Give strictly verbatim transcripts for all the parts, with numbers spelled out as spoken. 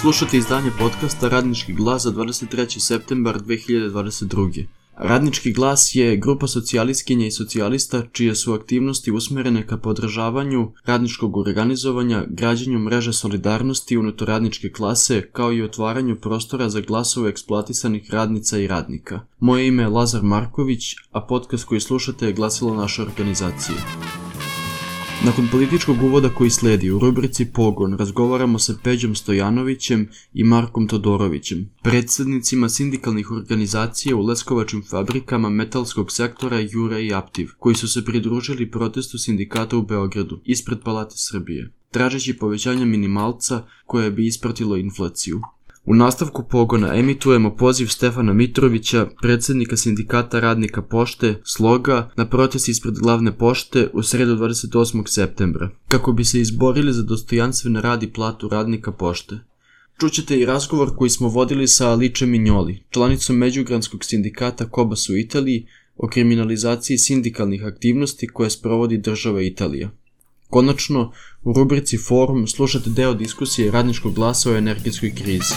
Slušate izdanje podcasta Radnički glas za dvadeset treći septembar dve hiljade dvadeset druge. Radnički glas je grupa socijalistkinja i socijalista čije su aktivnosti usmerene ka podržavanju radničkog organizovanja, građenju mreže solidarnosti unutar radničke klase, kao i otvaranju prostora za glasove eksploatisanih radnica i radnika. Moje ime je Lazar Marković, a podcast koji slušate je glasilo naše organizacije. Nakon političkog uvoda koji sledi, u rubrici Pogon razgovaramo sa Peđom Stojanovićem i Markom Todorovićem, predsjednicima sindikalnih organizacija u leskovačkim fabrikama metalskog sektora Jura i Aptiv, koji su se pridružili protestu sindikata u Beogradu, ispred Palate Srbije, tražeći povećanje minimalca koje bi ispratilo inflaciju. U nastavku Pogona emitujemo poziv Stefana Mitrovića, predsjednika sindikata radnika pošte, Sloga, na protest ispred glavne pošte u sredu dvadeset osmog septembra, kako bi se izborili za dostojanstven rad i platu radnika pošte. Čućete i razgovor koji smo vodili sa Alice Mignoli, članicom Međugranskog sindikata Kobas u Italiji, o kriminalizaciji sindikalnih aktivnosti koje sprovodi država Italija. Konačno, u rubrici Forum slušate deo diskusije Radničkog glasa o energetskoj krizi.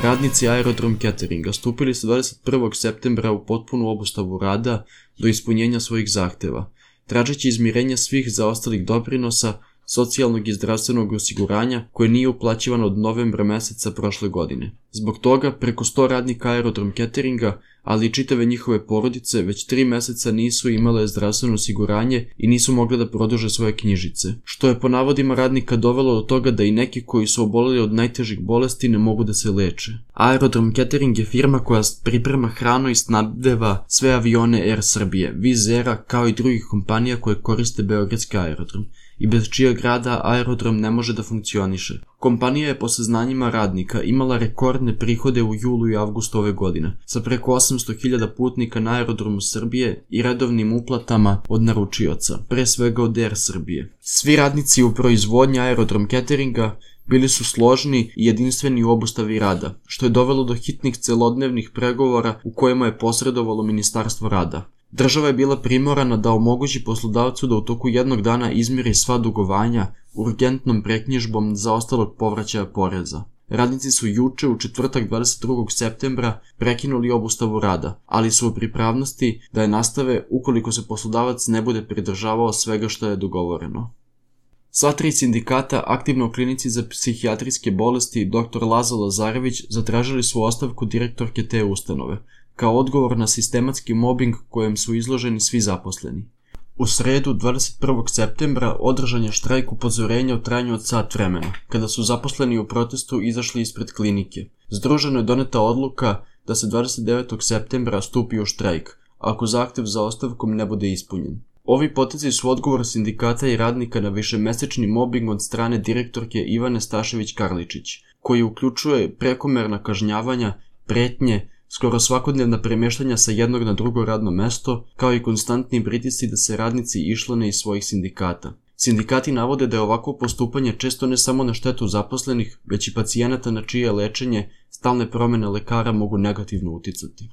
Radnici Aerodrom Cateringa stupili su dvadeset prvog septembra u potpunu obustavu rada do ispunjenja svojih zahteva, tražeći izmirenje svih zaostalih doprinosa, socijalnog i zdravstvenog osiguranja koje nije uplaćivano od novembra meseca prošle godine. Zbog toga, preko sto radnika Aerodrom Cateringa, ali i čitave njihove porodice, već tri meseca nisu imale zdravstveno osiguranje i nisu mogle da produže svoje knjižice, što je po navodima radnika dovelo do toga da i neki koji su oboleli od najtežih bolesti ne mogu da se leče. Aerodrom Catering je firma koja priprema hranu i snabdeva sve avione Air Srbije, Wizz Aira, kao i drugih kompanija koje koriste beogradski aerodrom, i bez čijeg rada aerodrom ne može da funkcioniše. Kompanija je po saznanjima radnika imala rekordne prihode u julu i avgustu ove godine, sa preko osamsto hiljada putnika na aerodromu Srbije i redovnim uplatama od naručioca, pre svega od Air Srbije. Svi radnici u proizvodnji Aerodrom Cateringa bili su složni i jedinstveni u obustavi rada, što je dovelo do hitnih celodnevnih pregovora u kojima je posredovalo Ministarstvo rada. Država je bila primorana da omogući poslodavcu da u toku jednog dana izmiri sva dugovanja urgentnom preknjižbom zaostalog povraćaja poreza. Radnici su juče, u četvrtak dvadeset drugog septembra, prekinuli obustavu rada, ali su u pripravnosti da je nastave ukoliko se poslodavac ne bude pridržavao svega što je dogovoreno. Sva tri sindikata aktivno u klinici za psihijatrijske bolesti doktor Laza Lazarević zatražili su ostavku direktorke te ustanove, kao odgovor na sistematski mobing kojem su izloženi svi zaposleni. U sredu dvadeset prvog septembra održan je štrajk upozorenja u trajanju od sat vremena, kada su zaposleni u protestu izašli ispred klinike. Združeno je doneta odluka da se dvadeset devetog septembra stupi u štrajk, ako zahtev za ostavkom ne bude ispunjen. Ovi potezi su odgovor sindikata i radnika na višemesečni mobing od strane direktorke Ivane Stašević-Karličić, koji uključuje prekomerna kažnjavanja, pretnje, skoro svakodnevna premještanja sa jednog na drugo radno mesto, kao i konstantni pritisci da se radnici išlane iz svojih sindikata. Sindikati navode da je ovako postupanje često ne samo na štetu zaposlenih, već i pacijenata na čije lečenje stalne promjene lekara mogu negativno uticati.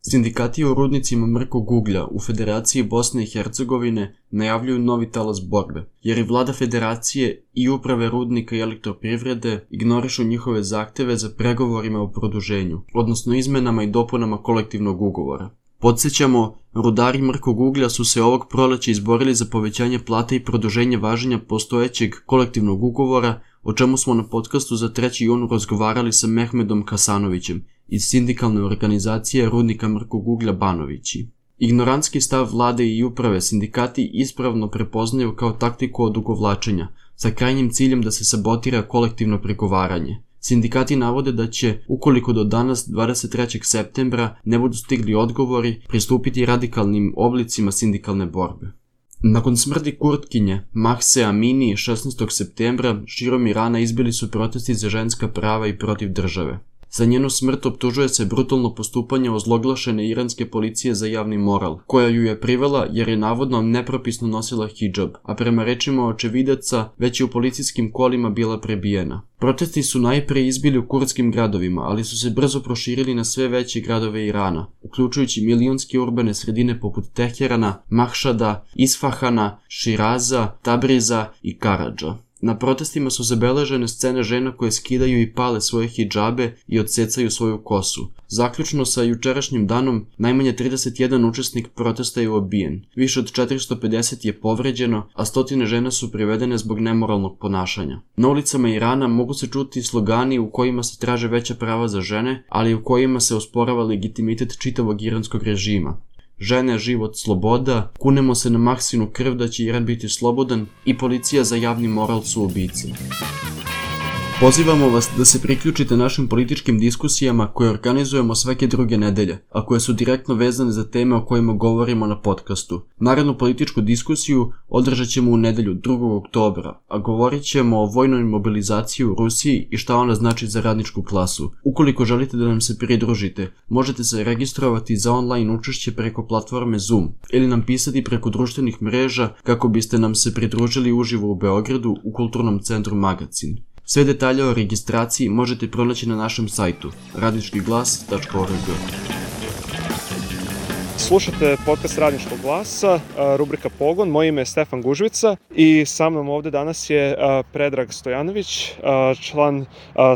Sindikati u rudnicima mrkog uglja u Federaciji Bosne i Hercegovine najavljuju novi talas borbe, jer i vlada federacije i uprave rudnika i elektroprivrede ignorišu njihove zahteve za pregovorima o produženju, odnosno izmenama i dopunama kolektivnog ugovora. Podsjećamo, rudari mrkog uglja su se ovog proleća izborili za povećanje plate i produženje važenja postojećeg kolektivnog ugovora, o čemu smo na podcastu za treći jun razgovarali sa Mehmedom Kasanovićem iz sindikalne organizacije rudnika mrkog uglja Banovići. Ignorantski stav vlade i uprave sindikati ispravno prepoznaju kao taktiku odugovlačenja, sa krajnjim ciljem da se sabotira kolektivno pregovaranje. Sindikati navode da će, ukoliko do danas dvadeset trećeg septembra ne budu stigli odgovori, pristupiti radikalnim oblicima sindikalne borbe. Nakon smrti Kurtkinje, Mahse Amini, šesnaestog septembra, širom Irana izbili su protesti za ženska prava i protiv države. Za njenu smrt optužuje se brutalno postupanje ozloglašene iranske policije za javni moral, koja ju je privela jer je navodno nepropisno nosila hidžab, a prema rečima očevidaca već je u policijskim kolima bila prebijena. Protesti su najpre izbili u kurdskim gradovima, ali su se brzo proširili na sve veće gradove Irana, uključujući milionske urbane sredine poput Teherana, Mahšada, Isfahana, Širaza, Tabriza i Karadža. Na protestima su zabeležene scene žena koje skidaju i pale svoje hidžabe i odsecaju svoju kosu. Zaključno sa jučerašnjim danom, najmanje trideset jedan učesnik protesta je ubijen, više od četiristo pedeset je povređeno, a stotine žena su privedene zbog nemoralnog ponašanja. Na ulicama Irana mogu se čuti slogani u kojima se traže veća prava za žene, ali u kojima se osporava legitimitet čitavog iranskog režima. Žene, život, sloboda, kunemo se na Mahsinu krv da će Iran biti slobodan i policija za javni moral su ubice. Pozivamo vas da se priključite našim političkim diskusijama koje organizujemo svake druge nedelje, a koje su direktno vezane za teme o kojima govorimo na podcastu. Narednu političku diskusiju održat ćemo u nedelju drugog oktobra, a govorit ćemo o vojnoj mobilizaciji u Rusiji i šta ona znači za radničku klasu. Ukoliko želite da nam se pridružite, možete se registrovati za online učešće preko platforme Zoom ili nam pisati preko društvenih mreža kako biste nam se pridružili uživo u Beogradu u Kulturnom centru Magacin. Sve detalje o registraciji možete pronaći na našem sajtu radnički glas tačka org. Slušate podcast Radničkog glasa, rubrika Pogon. Moje ime je Stefan Gužvica i sa mnom ovde danas je Predrag Stojanović, član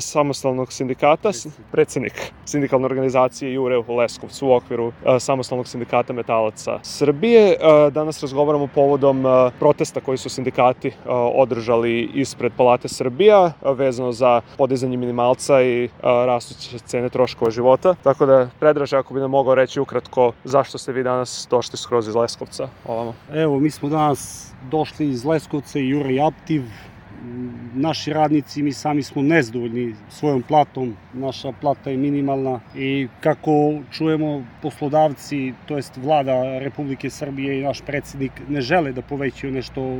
samostalnog sindikata, predsednik sindikalne organizacije Jure u Leskovcu u okviru samostalnog sindikata metalaca Srbije. Danas razgovaramo povodom protesta koji su sindikati održali ispred Palate Srbija vezano za podizanje minimalca i rastuće cene troškova života. Tako da, Predraž, ako bi nam mogao reći ukratko zašto ste vi danas došli skroz iz Leskovca ovamo? Evo, mi smo danas došli iz Leskovca i Jure i Aptiv. Naši radnici, mi sami smo nezadovoljni svojom platom, naša plata je minimalna i kako čujemo poslodavci, to jest vlada Republike Srbije i naš predsjednik ne žele da povećaju nešto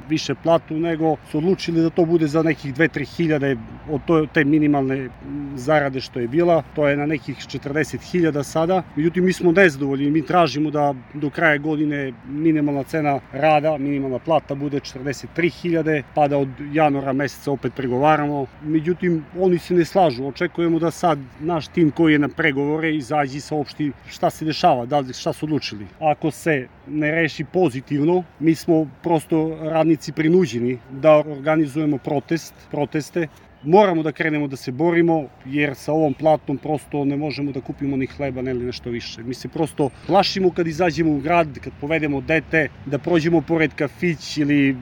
više platu, nego su odlučili da to bude za nekih dve do tri hiljade od te minimalne zarade što je bila, to je na nekih četrdeset hiljada sada. Međutim, mi smo nezadovoljni, mi tražimo da do kraja godine minimalna cena rada, minimalna plata bude četrdeset tri hiljade, pa da od januara meseca opet pregovaramo. Međutim, oni se ne slažu, očekujemo da sad naš tim koji je na pregovore izađe i saopšti šta se dešava, da li šta su odlučili. Ako se ne reši pozitivno, mi smo prosto radnici prinuđeni da organizujemo protest, proteste. Moramo da krenemo da se borimo, jer sa ovom platom prosto ne možemo da kupimo ni hleba, ne li nešto više. Mi se prosto plašimo kad izađemo u grad, kad povedemo dete, da prođemo pored kafić ili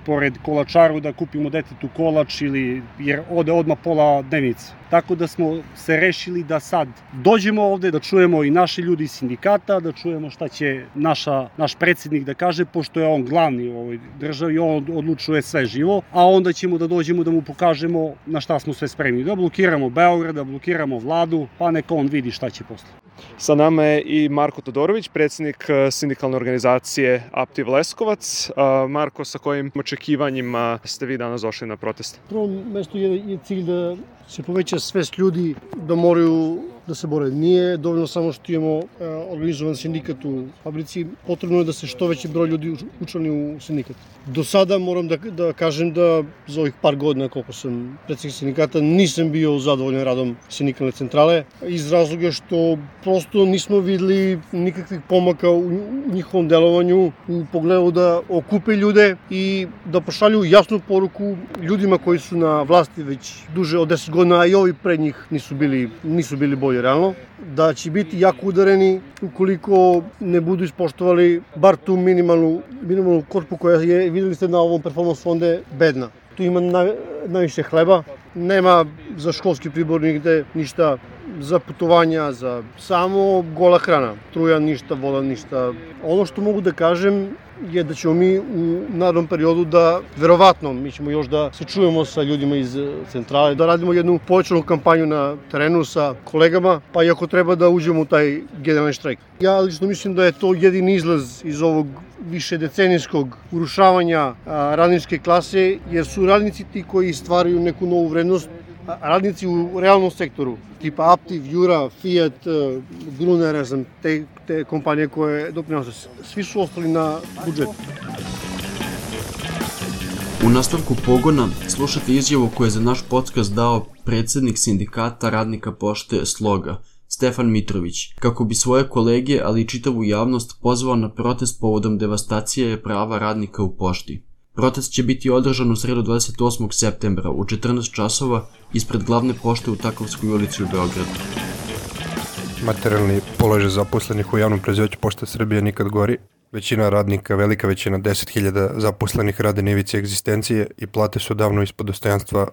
pored kolačaru da kupimo detetu kolač, ili, jer ode odmah pola dnevnice. Tako da smo se rešili da sad dođemo ovde, da čujemo i naši ljudi iz sindikata, da čujemo šta će naša, naš predsjednik da kaže, pošto je on glavni u ovoj državi, on odlučuje sve živo, a onda ćemo da dođemo da mu pokažemo na šta smo sve spremni. Da blokiramo Beograd, da blokiramo vladu, pa neka on vidi šta će posle. Sa nama je i Marko Todorović, predsjednik sindikalne organizacije Aptiv Leskovac. Marko, sa kojim očekivanjima ste vi danas došli na protest? Na prvom mestu je, je cilj da se poveća svest ljudi da moraju da se bore. Nije dovoljno samo što imamo e, organizovan sindikat u fabrici, potrebno je da se što veći broj ljudi učlani u sindikat. Do sada moram da, da kažem da za ovih par godina koliko sam predsjednik sindikata nisam bio zadovoljan radom sindikalne centrale, iz razloga što prosto nismo videli nikakvih pomaka u, u njihovom delovanju u pogledu da okupe ljude i da pošalju jasnu poruku ljudima koji su na vlasti već duže od deset godina, a i ovi pred njih nisu bili, nisu bili bolji realno, da će biti jako udareni ukoliko ne budu ispoštovali bar tu minimalnu, minimalnu korpu koja je, videli ste na ovom performance fonde, bedna. Tu ima na, najviše hleba, nema za školski pribor nigde ništa, za putovanja, za samo gola hrana, struja ništa, voda ništa. Ono što mogu da kažem je da ćemo mi u narednom periodu da, verovatno, mi ćemo još da se čujemo sa ljudima iz centrale, da radimo jednu povećanu kampanju na terenu sa kolegama, pa i ako treba da uđemo u taj generalni štrajk. Ja lično mislim da je to jedini izlaz iz ovog više decenijskog urušavanja radničke klase, jer su radnici ti koji stvaraju neku novu vrednost, radnici u realnom sektoru, tipa Aptiv, Jura, Fiat, Gruner, ne znam, te, te kompanije koje doprinose, svi su ostali na budžetu. U nastavku Pogona slušate izjavu koju je za naš podcast dao predsjednik sindikata radnika pošte Sloga, Stefan Mitrović, kako bi svoje kolege, ali i čitavu javnost pozvao na protest povodom devastacije prava radnika u pošti. Protest će biti održan u sredu dvadeset osmog septembra u četrnaest časova ispred glavne pošte u Takovskoj ulici u Beogradu. Materijalni položaj zaposlenih u javnom preduzeću Pošta Srbije nikad gori. Većina radnika, velika većina, deset hiljada zaposlenih rade na ivici egzistencije i plate su davno ispod dostojanstva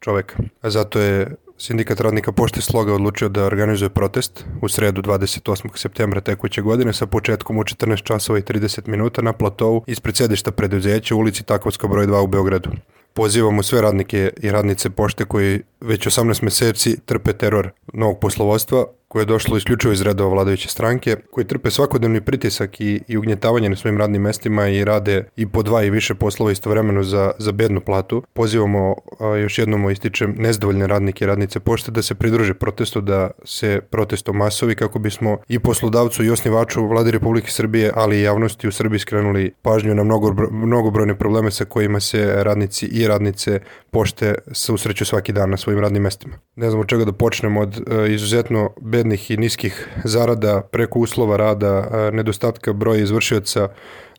čoveka. A zato je Sindikat radnika Pošte Sloga odlučio da organizuje protest u sredu dvadeset osmog septembra tekuće godine sa početkom u četrnaest časova i trideset minuta na platovu ispred sedišta preduzeća u ulici Takovska broj dva u Beogradu. Pozivamo sve radnike i radnice pošte koji već osamnaest meseci trpe teror novog poslovodstva koje je došlo isključivo iz redova vladajuće stranke, koji trpe svakodnevni pritisak i, i ugnjetavanje na svojim radnim mestima i rade i po dva i više poslova istovremeno za, za bednu platu. Pozivamo, a, još jednom ističem, nezadovoljne radnike i radnice pošte da se pridruže protestu, da se protest masovi kako bismo i poslodavcu i osnivaču Vlade Republike Srbije, ali i javnosti u Srbiji skrenuli pažnju na mnogo, mnogobrojne probleme sa kojima se radnici i radnice pošte susreću svaki dan na svojim radnim mestima. Ne znam od čega da počnemo, od a, izuzetno bednih i niskih zarada, preko uslova rada, nedostatka broja izvršioca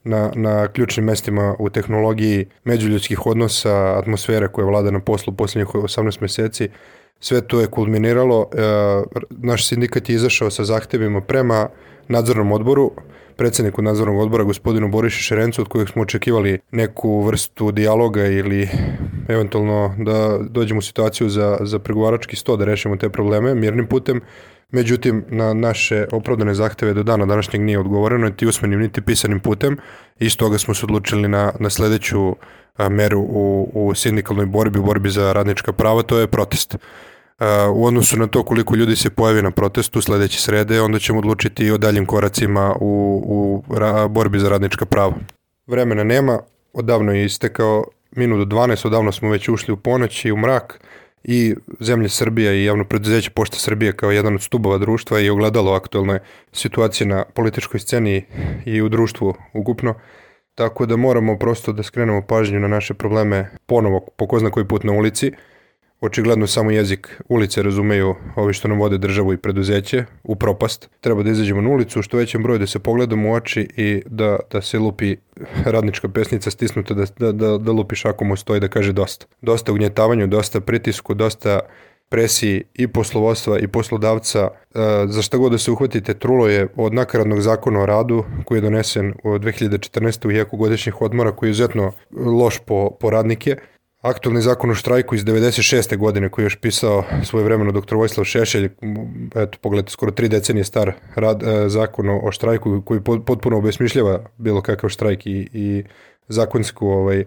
na, na ključnim mestima u tehnologiji, međuljudskih odnosa, atmosfere koja vlada na poslu posljednjih osamnaest meseci. Sve to je kulminiralo. Naš sindikat je izašao sa zahtevima prema nadzornom odboru, predsjedniku nadzornog odbora gospodinu Borišu Šerencu, od kojeg smo očekivali neku vrstu dijaloga ili eventualno da dođemo u situaciju za, za pregovarački sto da rešimo te probleme mirnim putem. Međutim, na naše opravdane zahteve do dana današnjeg nije odgovoreno, niti usmenim, niti pisanim putem. Iz toga smo se odlučili na, na sledeću a, meru u, u sindikalnoj borbi, u borbi za radnička prava, to je protest. A, u odnosu na to koliko ljudi se pojavi na protestu sledeće srede, onda ćemo odlučiti i o daljim koracima u, u ra, borbi za radnička prava. Vremena nema, odavno je istekao minut do dvanaest, odavno smo već ušli u ponoć i u mrak. I zemlja Srbija i javno preduzeće Pošta Srbije kao jedan od stubova društva i ogledalo aktualne situacije na političkoj sceni i u društvu ukupno. Tako da moramo prosto da skrenemo pažnju na naše probleme ponovo po ko zna koji put na ulici. Očigledno samo jezik ulice razumeju ovi što nam vode državu i preduzeće u propast. Treba da izađemo na ulicu, što većem broju da se pogledamo u oči i da, da se lupi radnička pesnica stisnuta, da, da, da, da lupi šakom u sto i da kaže dosta. Dosta ugnjetavanju, dosta pritisku, dosta presiji i poslovodstva i poslodavca. Za šta god da se uhvatite, trulo je od nakaradnog zakona o radu koji je donesen u dve hiljade četrnaeste. u jeku godišnjih odmora, koji je izuzetno loš po, po radnike. Aktualni zakon o štrajku iz devedeset šeste. godine koji je još pisao svojevremeno doktor Vojislav Šešelj, eto pogledajte, skoro tri decenije star rad, zakon o štrajku koji potpuno obesmišljava bilo kakav štrajk i, i zakonsku, ovaj,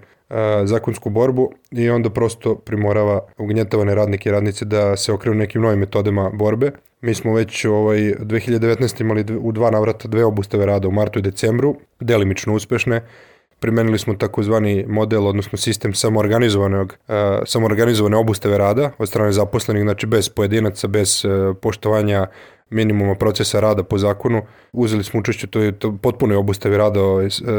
zakonsku borbu, i onda prosto primorava ugnjetavane radnike i radnice da se okrenu nekim novim metodama borbe. Mi smo već ovaj, dve hiljade devetnaeste. imali u dva navrata dve obustave rada u martu i decembru, delimično uspešne. Primenili smo takozvani model, odnosno sistem samoorganizovanog, uh, samoorganizovane obustave rada od strane zaposlenih, znači bez pojedinaca, bez uh, poštovanja minimuma procesa rada po zakonu. Uzeli smo učešće to je to potpunoj obustavi rada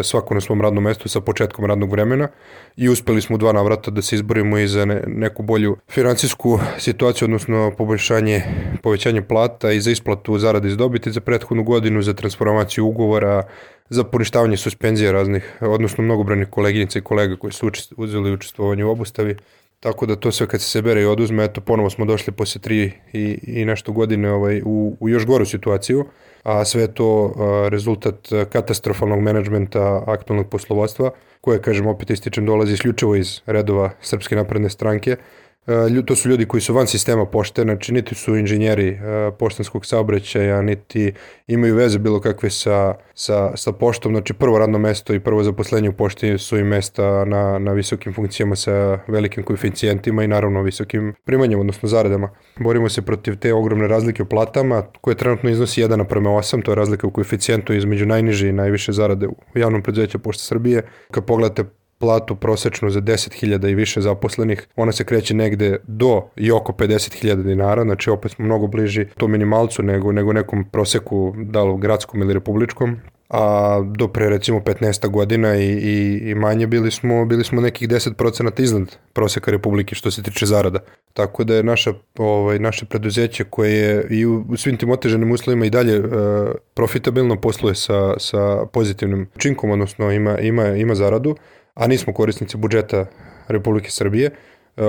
svako na svom radnom mestu sa početkom radnog vremena i uspeli smo u dva navrata da se izborimo i za ne, neku bolju finansijsku situaciju, odnosno poboljšanje, povećanje plata i za isplatu zarade iz dobiti za prethodnu godinu, za transformaciju ugovora, za poništavanje suspenzija raznih, odnosno mnogobrojnih koleginica i kolega koji su učest, uzeli učestvovanje u obustavi. Tako da to sve kad se sebere i oduzme, eto ponovo smo došli posle tri i, i nešto godine ovaj, u, u još goru situaciju, a sve to a, rezultat katastrofalnog menadžmenta aktualnog poslovodstva, koje, kažem, opet ističem, dolazi isključivo iz redova Srpske napredne stranke. To su ljudi koji su van sistema pošte, znači niti su inženjeri poštanskog saobraćaja, niti imaju veze bilo kakve sa, sa, sa poštom. Znači prvo radno mesto i prvo zaposlenje u pošti su i mesta na, na visokim funkcijama sa velikim koeficijentima i naravno visokim primanjima, odnosno zaradama. Borimo se protiv te ogromne razlike u platama, koje trenutno iznosi jedan naprema osam, to je razlika u koeficijentu između najniže i najviše zarade u javnom preduzeću Pošte Srbije. Kad pogledate platu prosečnu za deset hiljada i više zaposlenih, ona se kreće negde do i oko pedeset hiljada dinara, znači opet smo mnogo bliži to minimalcu nego, nego nekom proseku, da li gradskom ili republičkom, a do pre recimo petnaest godina i, i, i manje bili smo, bili smo nekih deset procenata iznad proseka Republike što se tiče zarada. Tako da je naša, ovaj, naše preduzeće koje je i u, u svim tim otežanim uslovima i dalje e, profitabilno posluje sa, sa pozitivnim učinkom, odnosno ima, ima, ima zaradu, a nismo korisnici budžeta Republike Srbije.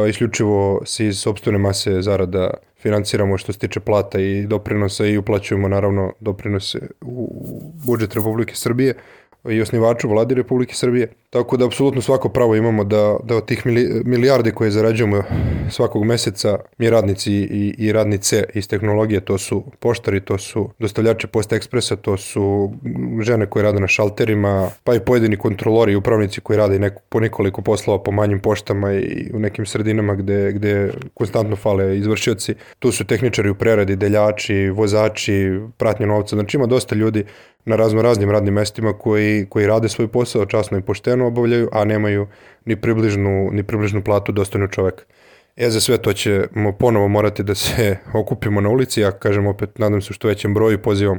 Isključivo se iz sopstvene mase zarada financiramo što se tiče plata i doprinosa i uplaćujemo naravno doprinose u budžet Republike Srbije i osnivaču vladi Republike Srbije. Tako da apsolutno svako pravo imamo da, da od tih milijardi koje zarađujemo svakog meseca mi radnici i, i radnice iz tehnologije, to su poštari, to su dostavljači Post Ekspresa, to su žene koje rade na šalterima, pa i pojedini kontrolori i upravnici koji rade neko, po nekoliko poslova po manjim poštama i u nekim sredinama gde, gde konstantno fale izvršioci. Tu su tehničari u preradi, deljači, vozači, pratnje novca, znači ima dosta ljudi na razno raznim radnim mestima koji, koji rade svoj posao časno i pošteno obavljaju, a nemaju ni približnu, ni približnu platu dostojnu čoveka. E, za sve to ćemo ponovo morati da se okupimo na ulici, ja kažem opet, nadam se što većem broju, pozivam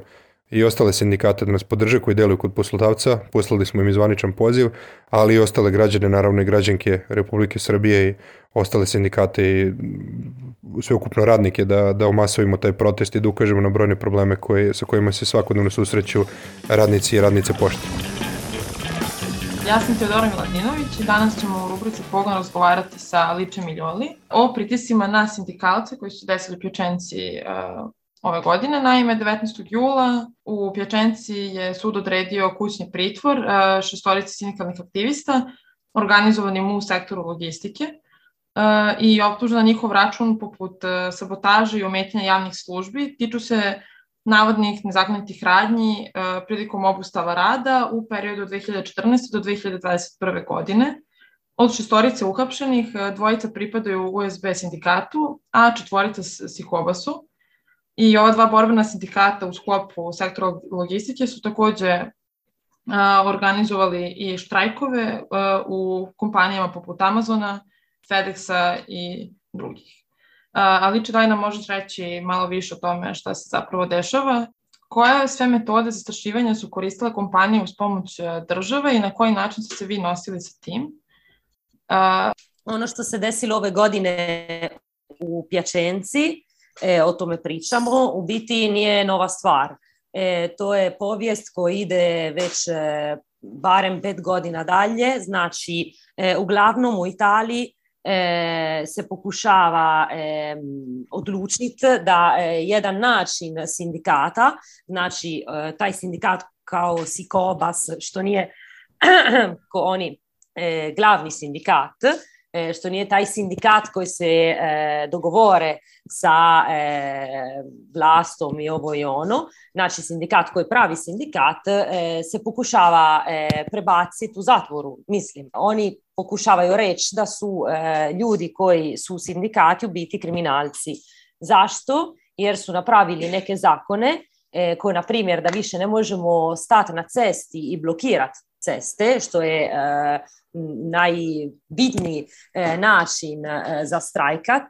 i ostale sindikate da nas podrže koji deluju kod poslodavca, poslali smo im i zvaničan poziv, ali i ostale građane, naravno i građanke Republike Srbije i ostale sindikate i sveukupno radnike da, da omasovimo taj protest i da ukažemo na brojne probleme koje, sa kojima se svakodnevno susreću radnici i radnice pošte. Ja sam Teodora Miladinović i danas ćemo u rubrici Pogon razgovarati sa Ličem Miljoli o pritiscima na sindikalce koji su desili u Pjačenci uh, ove godine. Naime, devetnaestog jula u Pjačenci je sud odredio kućni pritvor uh, šestorici sindikalnih aktivista organizovanim u sektoru logistike uh, i optužen na njihov račun poput uh, sabotaže i ometanja javnih službi tiču se navodnih nezakonitih radnji uh, prilikom obustava rada u periodu od dve hiljade četrnaeste do dve hiljade dvadeset prve. godine. Od šestorice uhapšenih, dvojica pripadaju U S B sindikatu, a četvorica Sikobasu. I ova dva borbena sindikata u sklopu sektora logistike su takođe uh, organizovali i štrajkove uh, u kompanijama poput Amazona, FedExa i drugih. Ali Liče, daj nam možeš reći malo više o tome šta se zapravo dešava. Koje sve metode zastrašivanja su koristile kompanije uz pomoć države i na koji način ste se vi nosili sa tim? Uh, ono što se desilo ove godine u Pjačenci, e, o tome pričamo, u biti nije nova stvar. E, to je povijest koja ide već e, barem pet godina dalje, znači e, uglavnom u Italiji E, se pokušava e, odlučiti da e, jedan način sindikata, znači e, taj sindikat kao Sikobas, što nije ko oni e, glavni sindikat, e, što nije taj sindikat koji se e, dogovore sa e, vlastom i ovo i ono, znači sindikat koji je pravi sindikat, e, se pokušava e, prebaciti u zatvoru, mislim. Oni pokušavaju reći da su e, ljudi koji su sindikati u biti kriminalci. Zašto? Jer su napravili neke zakone e, koje, na primjer, da više ne možemo stati na cesti i blokirati ceste, što je e, najbitniji e, način e, za strajkat.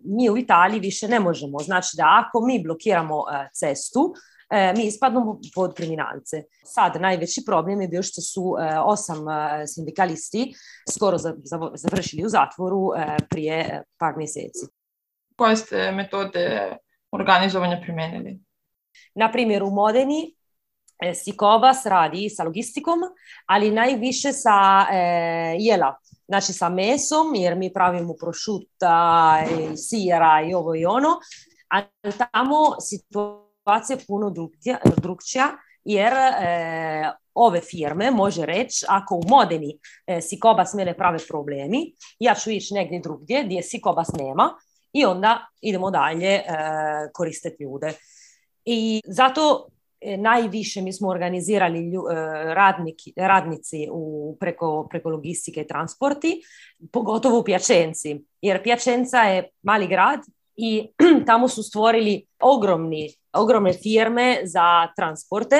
Mi u Italiji više ne možemo. Znači da ako mi blokiramo e, cestu, E, mi ispadnemo pod kriminalce. Sad, najveći problem je bio što su e, osam e, sindikalisti skoro za, za, završili u zatvoru e, prije e, par mjeseci. Koje ste metode organizovanja primenili? Na primjer, u Modeni e, Sikobas radi sa logistikom, ali najviše sa e, jela, znači sa mesom, jer mi pravimo prošuta, i sira i ovo i ono, a tamo situacija situacija je puno drugčija, jer e, ove firme može reći, ako u Modeni e, Sikobas mene prave problemi, ja ću ići negdje drugdje gdje Sikobas nema i onda idemo dalje e, koristiti ljude. I zato e, najviše mi smo organizirali lju, e, radniki, radnici u, preko, preko logistike i transporti, pogotovo u Pjačenci, jer Pjačenca je mali grad i tamo su stvorili ogromni, ogromne firme za transporte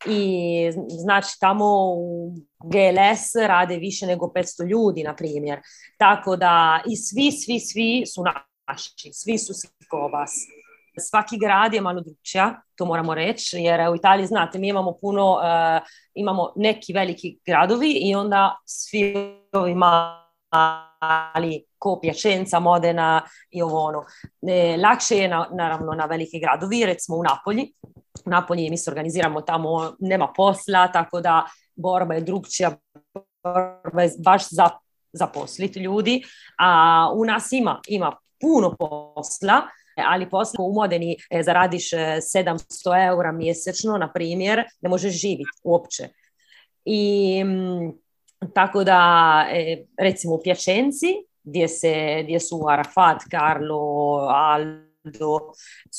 i znači tamo u G L S rade više nego petsto ljudi, na primjer. Tako da i svi, svi, svi su naši, svi su Sikobas. Svaki grad je malo drugčija, to moramo reći, jer u Italiji, znate, mi imamo puno, uh, imamo neki veliki gradovi i onda svi ovi mali ko Pjačenca, Modena i ovo ono. E, lakše je na, naravno na velike gradovi, recimo u Napolji. U Napolji mi se organiziramo tamo, nema posla, tako da borba je drugčija, borba je baš za zaposliti ljudi, a u nas ima, ima puno posla, ali posla u Modeni zaradiš sedamsto eura mjesečno, na primjer, ne možeš živjeti uopće. I tako da, recimo u Pjačenci, gdje, se, gdje su Arafat, Carlo, Aldo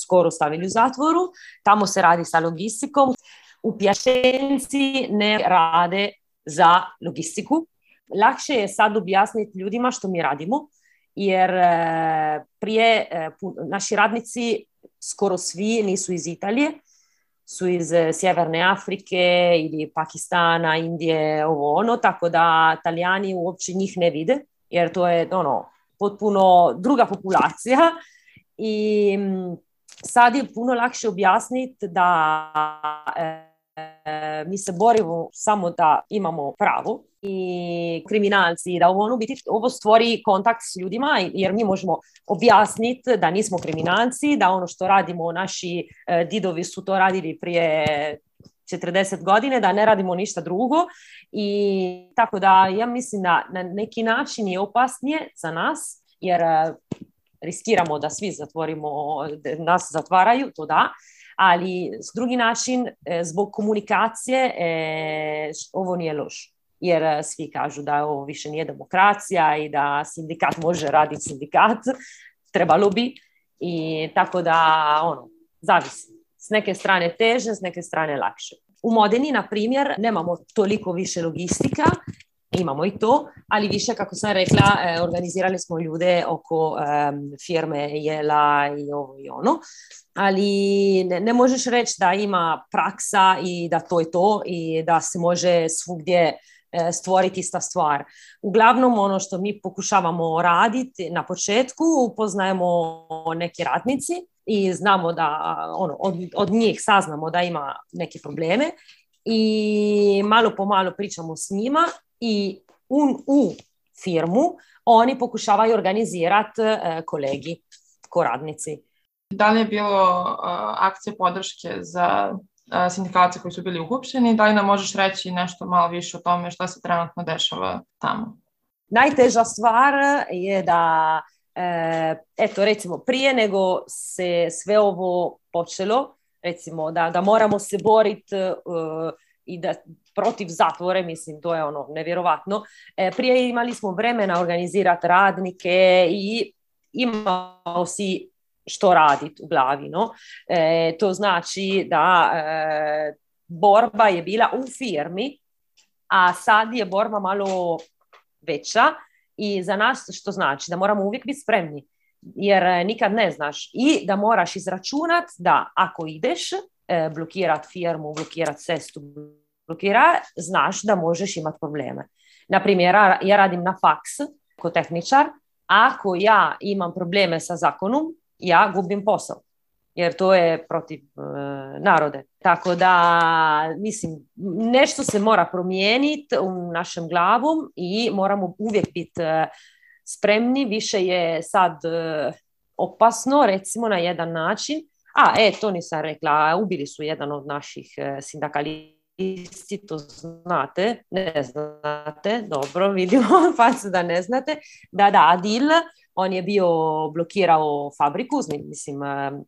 skoro stavili u zatvoru, tamo se radi sa logistikom. U Pjačenci ne rade za logistiku. Lakše je sad objasniti ljudima što mi radimo, jer prije naši radnici skoro svi nisu iz Italije, su iz Sjeverne Afrike ili Pakistana, Indije, ovo ono, tako da Talijani uopće njih ne vide, jer to je ono, potpuno druga populacija i sad je puno lakše objasniti da e, mi se borimo samo da imamo pravo i kriminalci, da ovo, ono, biti, ovo stvori kontakt s ljudima, jer mi možemo objasniti da nismo kriminalci, da ono što radimo, naši e, didovi su to radili prije četrdeset godine, da ne radimo ništa drugo i tako da ja mislim da na neki način je opasnije za nas, jer e, riskiramo da svi zatvorimo, nas zatvaraju, to da, ali s drugi način, e, zbog komunikacije, e, ovo nije loš. Jer svi kažu da ovo više nije demokracija i da sindikat može raditi sindikat, trebalo bi. I tako da, ono, zavisi. S neke strane teže, s neke strane lakše. U Modeni, na primjer, nemamo toliko više logistika, imamo i to, ali više, kako sam rekla, organizirali smo ljude oko um, firme Jela i ovo i ono, ali ne, ne možeš reći da ima praksa i da to je to i da se može svugdje stvoriti ista stvar. Uglavnom, ono što mi pokušavamo raditi na početku, upoznajemo neki radnici i znamo da ono, od, od njih saznamo da ima neke probleme i malo po malo pričamo s njima i u, u firmu oni pokušavaju organizirati uh, kolegi, ko radnici. Da li je bilo uh, akcije podrške za sindikalce koji su bili uhapšeni? Da li nam možeš reći nešto malo više o tome šta se trenutno dešava tamo? Najteža stvar je da, e, eto recimo prije nego se sve ovo počelo, recimo da, da moramo se boriti uh, i da protiv zatvore, mislim, to je ono nevjerovatno. E, prije imali smo vremena organizirati radnike i imao si što raditi u glavi, no? E, to znači da e, borba je bila u firmi, a sad je borba malo veća i za nas što znači da moramo uvijek biti spremni, jer nikad ne znaš i da moraš izračunat da ako ideš e, blokirat firmu, blokirat cestu, blokira, znaš da možeš imati probleme. Naprimjer, ja radim na faks kao tehničar, ako ja imam probleme sa zakonom, ja gubim posao, jer to je protiv e, narode. Tako da, mislim, nešto se mora promijeniti u našem glavom i moramo uvijek biti e, spremni. Više je sad e, opasno, recimo na jedan način. A, e, to nisam rekla, ubili su jedan od naših e, sindikalisti, to znate, ne znate, dobro, vidimo, pa se da ne znate. Da, da, Adil, on je bio blokirao fabriku, mislim,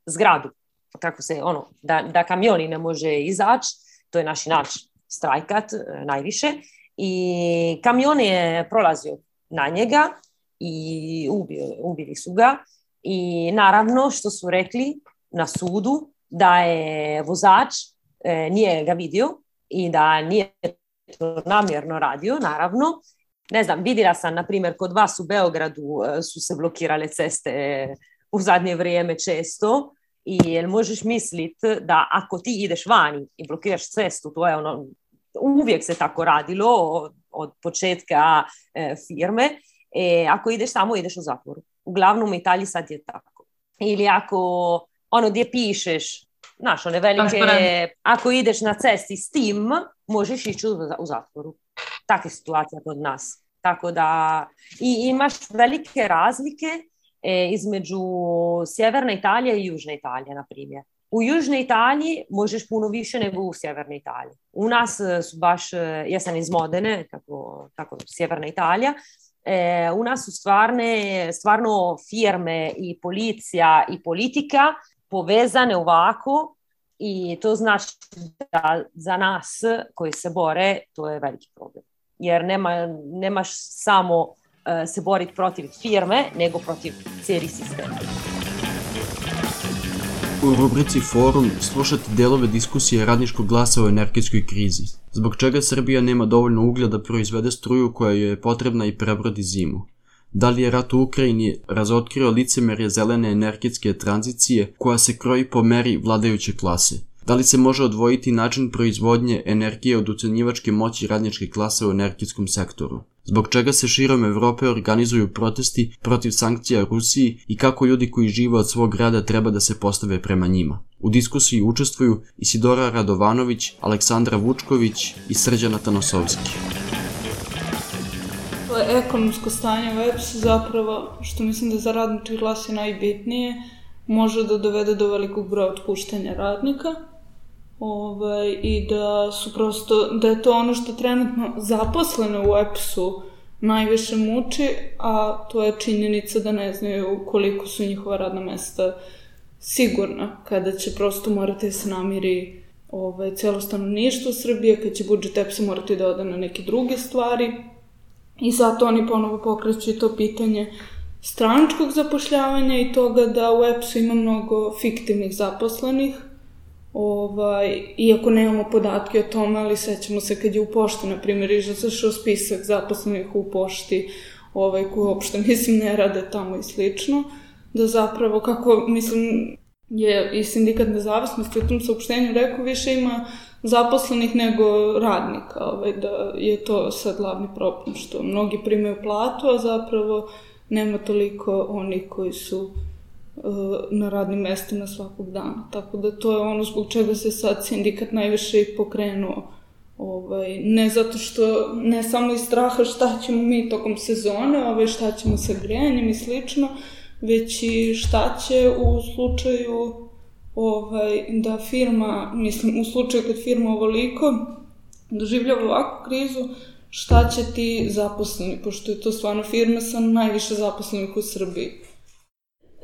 zgradu, kako se, ono, da, da kamioni ne može izaći, to je naš način, strajkat najviše, i kamion je prolazio na njega i ubili, ubili su ga i naravno što su rekli na sudu da je vozač e, nije ga vidio i da nije to namjerno radio, naravno. Ne znam, vidjela sam, na primjer, kod vas u Beogradu su se blokirale ceste u zadnje vrijeme često i jel možeš misliti da ako ti ideš vani i blokiraš cestu, to je ono, uvijek se tako radilo od, od početka e, firme, e, ako ideš tamo, ideš u zatvoru. Uglavnom u Italiji sad je tako. Ili ako ono gdje pišeš, znaš, one velike, ako ideš na cesti s tim, možeš ići u, u zatvoru. Takva situacija kod nas. Tako da i imaš velike razlike e, između sjeverne Italije i južne Italije, na primjer. U Južnoj Italiji možeš puno više nego u Sjevernoj Italiji. U nas su baš, ja sam iz Modene, tako, tako Sjeverna Italija, e, u nas su stvarne, stvarno firme i policija i politika povezane ovako i to znači da za nas koji se bore to je veliki problem. Jer nema, nemaš samo uh, se boriti protiv firme, nego protiv cijeli sistem. U rubrici Forum slušate delove diskusije Radničkog glasa o energetskoj krizi. Zbog čega Srbija nema dovoljno uglja da proizvede struju koja joj je potrebna i prebrodi zimu? Da li je rat u Ukrajini razotkrio licemerje zelene energetske tranzicije koja se kroji po meri vladajuće klase? Da li se može odvojiti način proizvodnje energije od ucenjivačke moći radničke klase u energetskom sektoru? Zbog čega se širom Evrope organizuju protesti protiv sankcija Rusiji i kako ljudi koji žive od svog rada treba da se postave prema njima? U diskusiji učestvuju Isidora Radovanović, Aleksandra Vučković i Srđana Tanosovski. Ekonomsko stanje u E P S-u zapravo, što mislim da za radnički glas je najbitnije, može da dovede do velikog broja otpuštanja radnika. Ovaj, i da su prosto, da je to ono što trenutno zaposlene u E P S-u najviše muči, a to je činjenica da ne znaju koliko su njihova radna mesta sigurna, kada će prosto morati da se namiri ovaj, cijelo stanovništvo Srbije, kad će budžet E P S-a morati da ode na neke druge stvari i zato oni ponovo pokreću to pitanje stranačkog zapošljavanja i toga da u E P S-u ima mnogo fiktivnih zaposlenih. Ovaj, iako nemamo podatke o tome, ali sećamo se kad je u pošti, na primjer, izašao spisak zaposlenih u pošti, ovaj, koji uopšte, mislim, ne rade tamo i slično, da zapravo, kako, mislim, je i sindikat nezavisnosti u tom saopštenju rekao, više ima zaposlenih nego radnika, ovaj, da je to sad glavni problem, što mnogi primaju platu, a zapravo nema toliko onih koji su na radnim mestima svakog dana. Tako da to je ono zbog čega se sad sindikat najviše i pokrenuo. Ovaj, ne zato što, ne samo iz straha šta ćemo mi tokom sezone, ovaj, šta ćemo sa grejanjem i slično, već i šta će u slučaju ovaj, da firma, mislim, u slučaju kad firma ovoliko doživljava ovakvu krizu, šta će ti zaposleni, pošto je to stvarno firma sa najviše zaposlenih u Srbiji.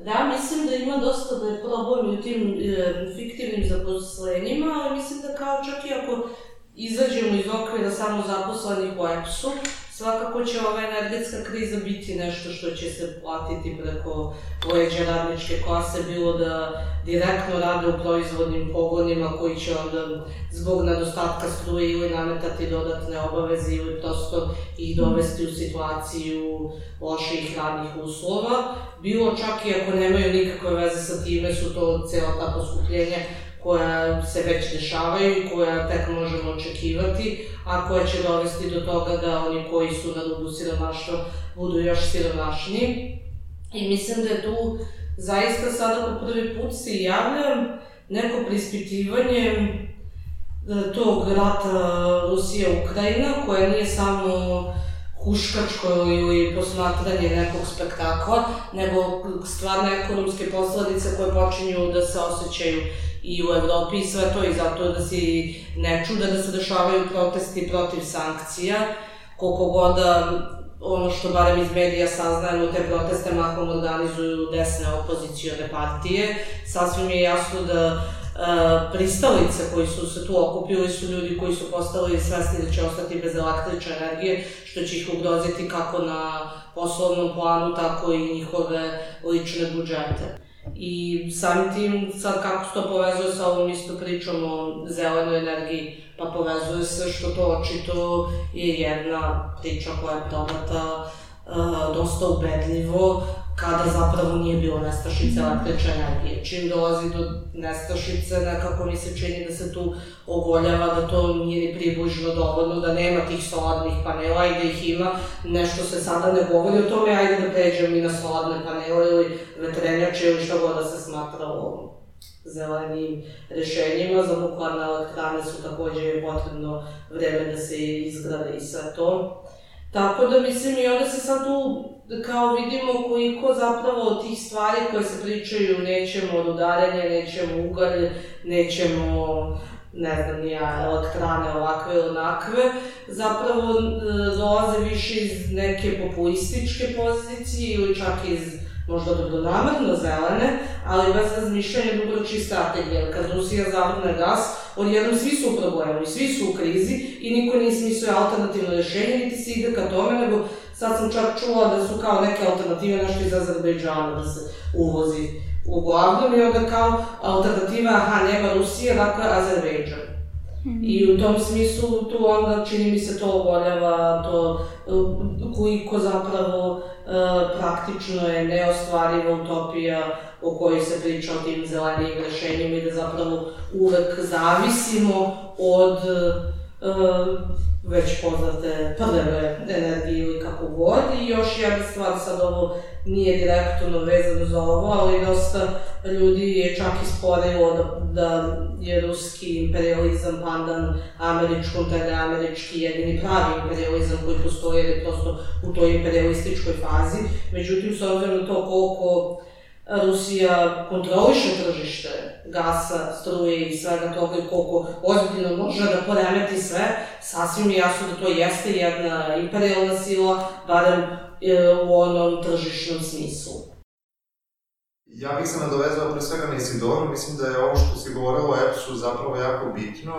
Da, mislim da ima dosta da je problem u tim e, fiktivnim zaposlenjima, ali mislim da kao čak i ako izađemo iz okvira samo zaposlenih u E P S-u, svakako će ova energetska kriza biti nešto što će se platiti preko leđa radničke klase, bilo da direktno rade u proizvodnim pogonima koji će onda zbog nedostatka struje ili nametati dodatne obaveze ili prosto ih dovesti u situaciju loših radnih uslova. Bilo čak i ako nemaju nikakve veze sa time, su to cijela ta poskupljenja koja se već dešavaju i koja tek možemo očekivati, a koja će dovesti do toga da oni koji su na rubu siromaštva budu još siromašniji. I mislim da je tu zaista sada po prvi put se javlja neko preispitivanje tog rata Rusija-Ukrajina, koja nije samo huškačko ili posmatranje nekog spektakla, nego stvarne ekonomske posledice koje počinju da se osjećaju i u Evropi i sve to, i zato da se ne čuda da se dešavaju protesti protiv sankcija, koliko god ono što barem iz medija saznajemo, te proteste mahom organizuju desne opozicione partije. Sasvim je jasno da e, pristalice koji su se tu okupili su ljudi koji su postali svesni da će ostati bez električne energije, što će ih ugroziti kako na poslovnom planu, tako i njihove lične budžete. I samim tim, sad kako se to povezuje sa ovom isto pričom o zelenoj energiji, pa povezuje se što to očito je jedna priča koja je prodata uh, dosta ubedljivo, kada zapravo nije bilo nestašice električne energije. Čim dolazi do nestašice, nekako mi se čini da se tu ogoljava da to nije ni približno dovoljno, da nema tih solarnih panela i da ih ima. Nešto se sada ne govori o tome, ajde da pređem i na solarne panele ili vetrenjače ili šta god da se smatra o zelenim rešenjima. Za nuklearne elektrane su takođe potrebno vreme da se izgrade i sve to. Tako da mislim i onda se sad tu kao vidimo koliko zapravo od tih stvari koje se pričaju, nećemo od udaranja, nećemo ugalj, nećemo, ne znam, nija elektrane ovakve ili onakve, zapravo dolaze više iz neke populističke pozicije ili čak iz možda dobronamerno zelene, ali bez razmišljanja dugoročnih strategija. Jer kad Rusija zavrne gas, odjednom svi su u problemu i svi su u krizi i niko nije smislio alternativno rešenje, niti se ide ka tome, nego sad sam čak čula da su kao neke alternative nešto iz Azerbejdžana da se uvozi uglavnom i onda kao alternativa, aha, nema Rusije, dakle Azerbejdžan. I u tom smislu tu onda čini mi se to oboljava, to koliko zapravo praktično je neostvariva utopija o kojoj se priča o tim zelenijim rešenjima i da zapravo uvek zavisimo od već poznate prljave energije ili kako god. I još jedna stvar, sad ovo nije direktno vezano za ovo, ali dosta ljudi je čak isporilo da, da je ruski imperializam pandan američkom, taj da je američki jedini pravi imperializam koji postoji, jer je prosto u toj imperialističkoj fazi. Međutim, s obzirom na to koliko Rusija kontroliše tržište gasa, struje i svega toga i koliko ozbiljno može da poremeti sve, sasvim je jasno da to jeste jedna imperialna sila, barem u onom tržišnom smislu. Ja bih se nadovezao pre svega na Isidoru, mislim da je ovo što si govorila o E P S-u zapravo jako bitno.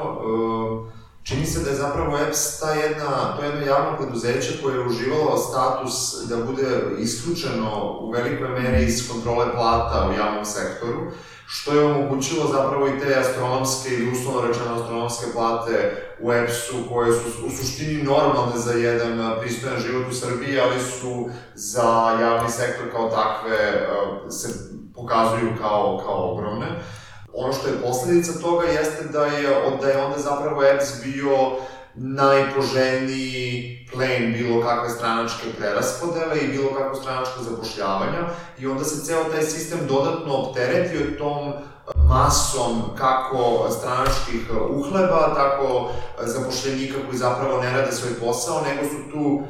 Čini se da je zapravo E P S ta jedna, to jedno javno preduzeće koje je uživalo status da bude isključeno u velikoj meri iz kontrole plata u javnom sektoru, što je omogućilo zapravo i te astronomske ili uslovno rečeno astronomske plate u E P S-u koje su u suštini normalne za jedan pristojan život u Srbiji, ali su za javni sektor kao takve se pokazuju kao, kao ogromne. Ono što je posledica toga jeste da je, da je onda zapravo E P S bio najpoželjniji plen bilo kakve stranačke preraspodele i bilo kakvo stranačko zapošljavanja i onda se ceo taj sistem dodatno opteretio tom masom kako stranačkih uhleba, tako zapošljenika koji zapravo ne rade svoj posao, nego su tu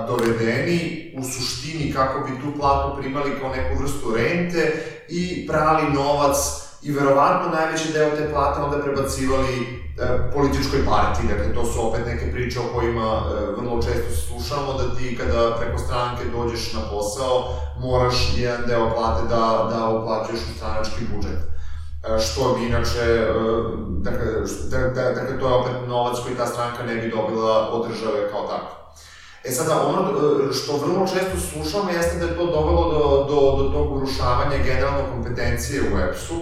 dovedeni u suštini kako bi tu platu primali kao neku vrstu rente i prali novac i verovatno najveći deo te plate onda prebacivali e, političkoj partiji. Dakle, to su opet neke priče o kojima e, vrlo često slušamo, da ti kada preko stranke dođeš na posao, moraš jedan deo plate da, da uplaćuješ u stranački budžet. E, što bi inače, e, dakle, da, da, dakle, to je opet novac koji ta stranka ne bi dobila od države kao tako. E sada, ono što vrlo često slušamo jeste da je to dovelo do, do, do tog urušavanja generalno kompetencije u E P S-u.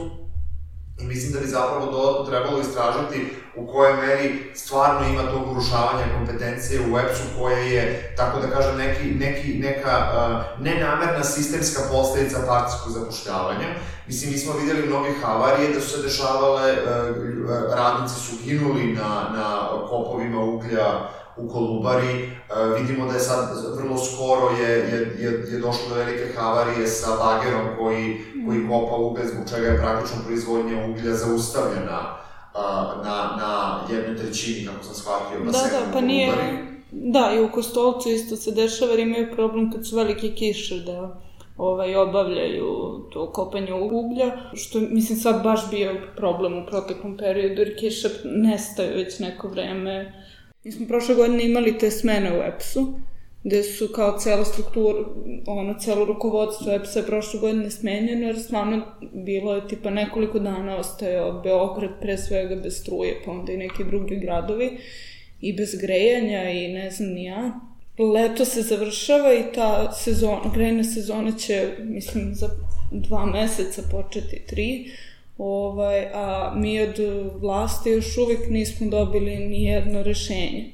I mislim da bi zapravo dodatno trebalo istražiti u kojoj meri stvarno ima tog urušavanja kompetencije u E P S-u koja je, tako da kažem, neki, neki, neka uh, nenamerna sistemska posledica partijskog zapošljavanja. Mislim, mi smo vidjeli mnoge havarije da su se dešavale, uh, radnici su ginuli na, na kopovima uglja u Kolubari. Uh, vidimo da je sad vrlo skoro je, je, je, je došlo do velike havarije sa bagerom koji, koji kopa ugalj, zbog čega je praktično proizvodnja uglja zaustavljena uh, na, na jednoj trećini, kako sam shvatio, na da, sekundu da, pa nije, da, i u Kostolcu isto se dešava jer imaju problem kad su velike kiše da ovaj, obavljaju to kopanje uglja, što mislim sad baš bio problem u proteklom periodu jer kiše nestaju već neko vreme. Mi smo prošle godine imali te smene u E P S-u, gde su kao cela struktura, ono, celo rukovodstvo E P S-a je prošle godine smenjeno, jer stvarno bilo je tipa nekoliko dana ostajao Beograd pre svega bez struje, pa onda i neki drugi gradovi, i bez grejanja i ne znam ni ja. Leto se završava i ta sezona, grejna sezona će, mislim, za dva meseca početi, tri, Ovaj, a mi od vlasti još uvijek nismo dobili ni jedno rešenje.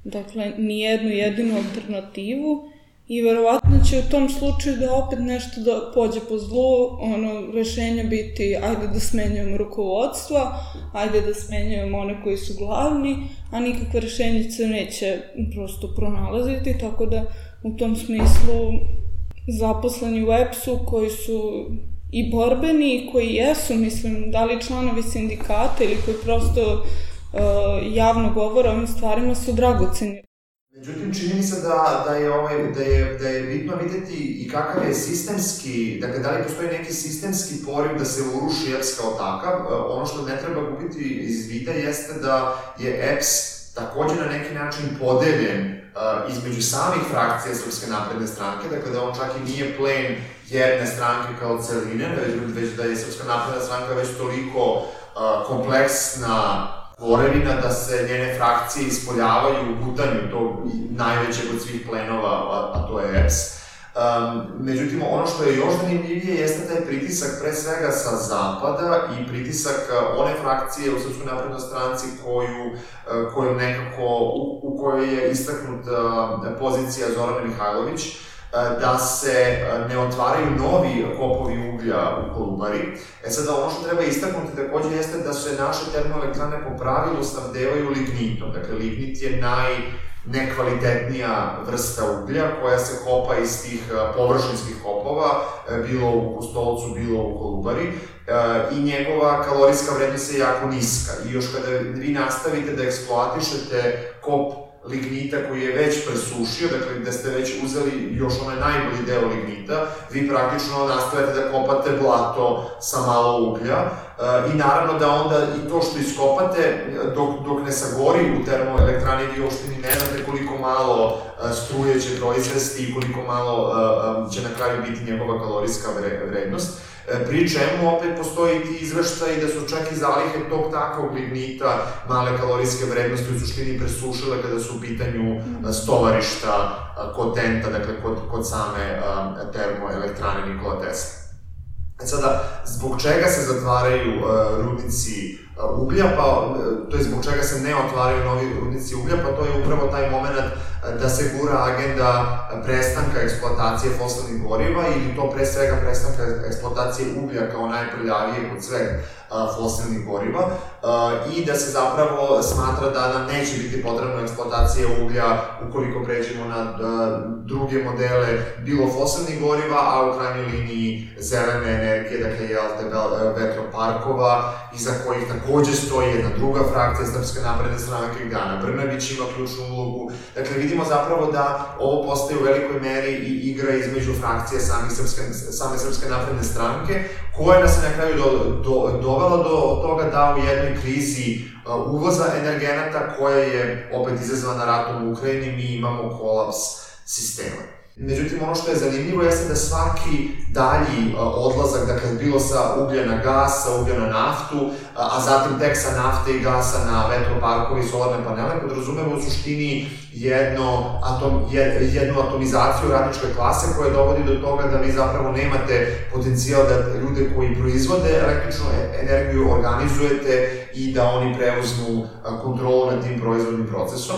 Dakle, ni jednu jedinu alternativu i verovatno će u tom slučaju da opet nešto da pođe po zlu, ono, rešenja biti ajde da smenjujemo rukovodstva, ajde da smenjujemo one koji su glavni, a nikakve rešenje se neće prosto pronalaziti, tako da u tom smislu zaposleni u E P S-u koji su i borbeni i koji jesu, mislim, da li članovi sindikata ili koji prosto uh, javno govore o ovim stvarima su dragoceni. Međutim, čini mi se da, da, je ovaj, da, je, da je bitno videti i kakav je sistemski, dakle, da li postoji neki sistemski poriv da se uruši E P S kao takav. Ono što ne treba gubiti iz vida jeste da je E P S takođe na neki način podeljen uh, između samih frakcija Srpske napredne stranke, dakle da on čak i nije plen jedne stranke kao celine, već, već da je Srpska napredna stranka već toliko uh, kompleksna tvorevina da se njene frakcije ispoljavaju u gutanju tog najvećeg od svih plenova, a, a to je E P S. Um, međutim, ono što je još zanimljivije jeste taj pritisak pre svega sa zapada i pritisak one frakcije u Srpskoj naprednoj stranci koju, koju nekako, u, u kojoj je istaknuta pozicija Zorane Mihajlović, da se ne otvaraju novi kopovi uglja u Kolubari. E sada, ono što treba istaknuti takođe jeste da se naše termoelektrane po pravilu snabdevaju lignitom. Dakle, lignit je naj nekvalitetnija vrsta uglja koja se kopa iz tih površinskih kopova, bilo u Kostolcu, bilo u Kolubari, i njegova kalorijska vrednost je jako niska. I još kada vi nastavite da eksploatišete kop lignita koji je već presušio, dakle gde ste već uzeli još onaj najbolji deo lignita, vi praktično nastavite da kopate blato sa malo uglja i naravno da onda i to što iskopate dok, dok ne sagori u termoelektrani vi uopšte ni ne znate koliko malo struje će proizvesti i koliko malo će na kraju biti njegova kalorijska vrednost. Pri čemu opet postoji ti izveštaj da su čak i zalihe tog takvog lignita male kalorijske vrednosti u suštini presušile kada su u pitanju stovarišta kod Tenta, dakle kod, kod same termoelektrane Nikola Tesla. Sada, zbog čega se zatvaraju rudnici uglja, pa to je zbog čega se ne otvaraju novi rudnici uglja, pa to je upravo taj moment da se gura agenda prestanka eksploatacije fosilnih goriva ili to pre svega prestanka eksploatacije uglja kao najprljavijeg od sveg fosilnih goriva i da se zapravo smatra da nam neće biti potrebna eksploatacija uglja ukoliko pređemo na druge modele bilo fosilnih goriva, a u krajnjoj liniji zelene energije, dakle vetroparkova, iza kojih takođe stoji jedna druga frakcija Srpske napredne stranke gde Ana Brnabić ima ključnu ulogu. Dakle, vidimo zapravo da ovo postaje u velikoj meri i igra između frakcije same Srpske, same Srpske napredne stranke, koja nas je na kraju do, do, dovela do toga da u jednoj krizi uvoza energenata koja je opet izazvana ratom u Ukrajini, mi imamo kolaps sistema. Međutim, ono što je zanimljivo jeste da svaki dalji odlazak, dakle, bilo sa uglja na gas, sa uglja na naftu, a zatim tek sa nafte i gasa na vetroparkove i solarne panele, podrazumeva u suštini jedno atom, jednu atomizaciju radničke klase koja dovodi do toga da vi zapravo nemate potencijal da ljude koji proizvode električnu energiju organizujete i da oni preuzmu kontrolu nad tim proizvodnim procesom.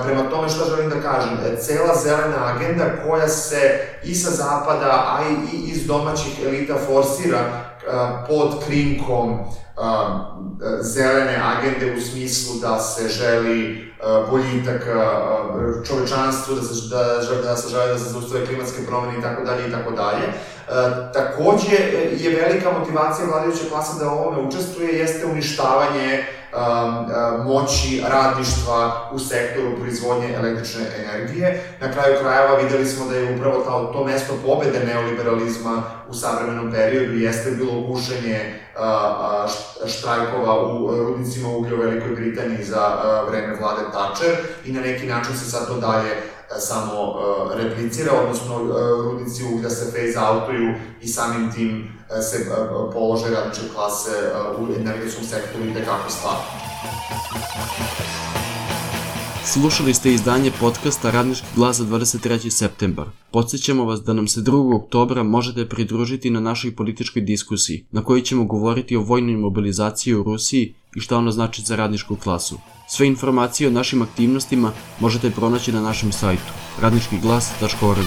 Prema tome, što želim da kažem, cela zelena agenda koja se i sa zapada, a i iz domaćih elita forsira pod krinkom zelene agende u smislu da se želi boljitak čovečanstvu, da se, da, da se žele da se zaustave klimatske promene i tako dalje i tako dalje. Takođe je velika motivacija vladajuće klase da u ovome učestvuje jeste uništavanje moći radništva u sektoru proizvodnje električne energije. Na kraju krajeva videli smo da je upravo to, to mesto pobede neoliberalizma u savremenom periodu jeste bilo gušenje štrajkova u rudnicima uglja u Velikoj Britaniji za vreme vlade Thatcher i na neki način se sad to dalje samo replicira, odnosno rudnici uglja se phase-outuju i samim tim se položaj radničke klase u energetskom sektoru i tekako stvari. Slušali ste izdanje podcasta Radnički glas za dvadeset treći septembar. Podsjećamo vas da nam se drugog oktobra možete pridružiti na našoj političkoj diskusiji, na kojoj ćemo govoriti o vojnoj mobilizaciji u Rusiji i šta ono znači za radničku klasu. Sve informacije o našim aktivnostima možete pronaći na našem sajtu radnički glas tačka org.